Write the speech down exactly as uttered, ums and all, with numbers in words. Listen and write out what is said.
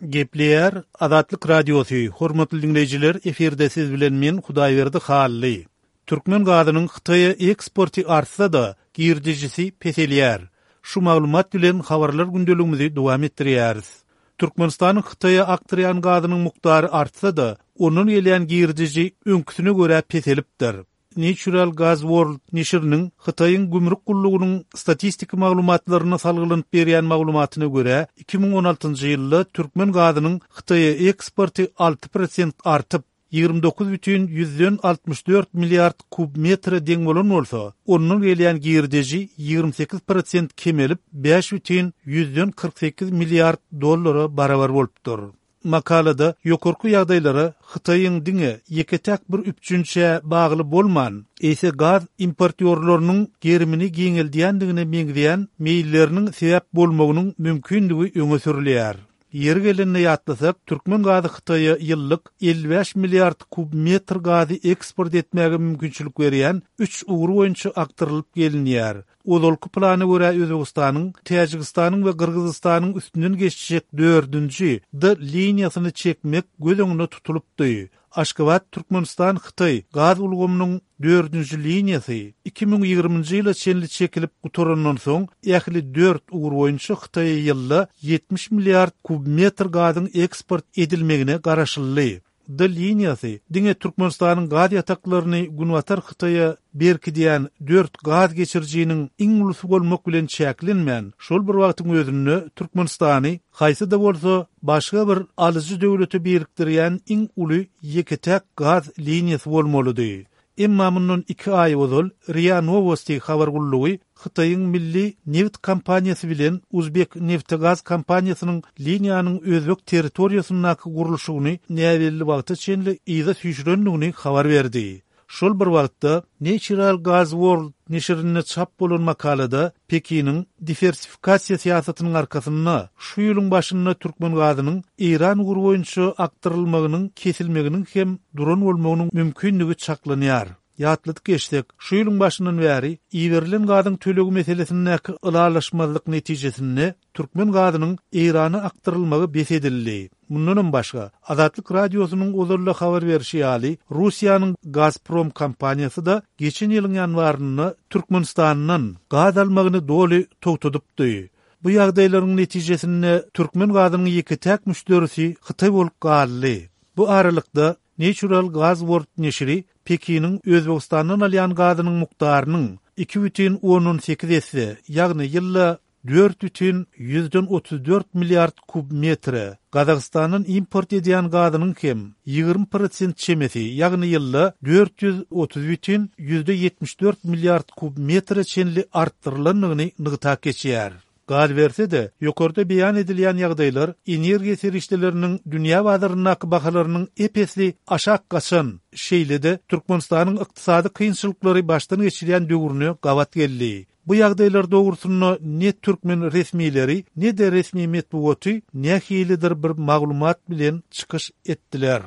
Gepleýär Azatlyk Radiosy, hormatly diňleýjiler, efirde siz bilen men Hudaýberdi Hally. Türkmen gazynyň Hytaýa eksporty artsa-da, girdejisi peselýär. Şu maglumat bilen habarlar gündeligimizi dowam etdirýäris. Türkmenistanyň Hytaýa akdyrýan gazynyň mukdary artsa-da, ondan gelýän girdeji öňküsine görä peselipdir. Natural Gas World neşiriniň Hytaýyň gümrük gullugynyň statistik maglumatlaryna salgylanyp berýän maglumatyna görä, iki müň on altynjy ýylda türkmen gazynyň Hytaýa eksporty alty prosent artyp, ýigrimi dokuz bütin ýüzden altmyş dört milliard kub metre deň bolan bolsa, ondan gelýän girdeji ýigrimi sekiz prosent kemelip, bäş bütin ýüzden kyrk sekiz milliard dollara barabar bolupdyr. Makalada ýokarky ýagdaýlara Hytaýyň diňe ýeke-täk bir üpjünçä bagly bolman, eýse gaz importýorlarynyň gerimini giňeldýändigine meňzeýän meýilleriniň sebäp bolmagynyň mümkindigi öňe sürülýär. Ýeri gelende ýatlasak, türkmen gazy Hytaýa ýyllyk elli bäş milliard kub metr gazy eksport etmäge mümkinçilik berýän üç ugur boýunça akdyrylyp gelinýär. Ozalky plana görä Özbegistanyň, Täjigistanyň we Gyrgyzystanyň üstünden geçjek dördünji D liniýasyny çekmek göz öňünde tutulypdy. Aşgabat Türkmenistan Hytaý gaz ulgamynyň dördünji liniýasy iki müň ýigriminji ýyla çenli çekilip gutarandan soň ähli dört ugur boýunça Hytaýa ýylda ýetmiş milliard kub metr gazyň eksport edilmegine garaşyldy. D liniýasy diňe Türkmenistanyň gaz ýataklaryny Günbatar Hytaýa berkidýän dört gaz geçirijiniň iň ulusy bolmak bilen çäklenmän, şol bir wagtyň özünde Türkmenistany haýsy-da bolsa başga bir alyjy döwlete birikdirýän iň uly ýeke-täk gaz liniýasy bolmalydy. Emma mundan iki aý ozal RIA Novosti habar gullugy Hytaýyň milli neft kompaniýasy bilen Uzbek neftegaz kompaniýasynyň liniýanyň özbek territoriýasyndaky gurluşygyny näbelli wagta çenli yza süýşürendigini habar berdi. Şol bir wagtda Natural Gas World neşirinde çap bolan makalada Pekiniň diwersifikasiýa syýasatynyň arkasynda şu ýylyň başynda türkmen gazynyň Eýran ugry boýunça akdyrylmagynyň kesilmeginiň hem duran bolmagynyň mümkindigi çaklanýar. Ýatladyk geçsek, şu ýylyň başyndan bäri iberilen gazyň tölegi meselesindäki ylalaşmazlyk netijesinde türkmen gazynyň Eýrana akdyrylmagy bes edildi. Mundanam başga, Azatlyk Radiosynyň ozalda habar berişi ýaly, Russiýanyň Gazprom kompaniýasy da geçen ýylyň ýanwarynda Türkmenistandan gaz almagyny doly togtadypdy. Bu ýagdaýlaryň netijesinde türkmen gazynyň ýeke-täk müşderisi Hytaý bolup galdy. Bu aralykda Natural Gas World neşiri Pekiniň Özbegistandan alýan gazynyň mukdarynyň iki bütin ondan sekiz esse, ýagny ýylda dört bütin ýüzden otuz dört milliard kub metre, Gazagystandan import edýän gazynyň hem ýigrimi prosent çemesi, ýagny ýylda dört ýüz otuz bütin ýüzde ýetmiş dört milliard kub metre çenli artdyrylandygyny nygtap geçýär. Galyberse-de, ýokarda beýan edilýän ýagdaýlar energiýa serişdeleriniň dünýä bazaryndaky bahalarynyň ep-esli aşak gaçan, şeýle-de Türkmenistanyň ykdysady kynçylyklary başdan geçirýän döwrüne gabat geldi. Bu ýagdaýlar dogrusynda ne türkmen resmileri, ne-de resmi metbugaty nähilidir bir maglumat bilen çykyş etdiler.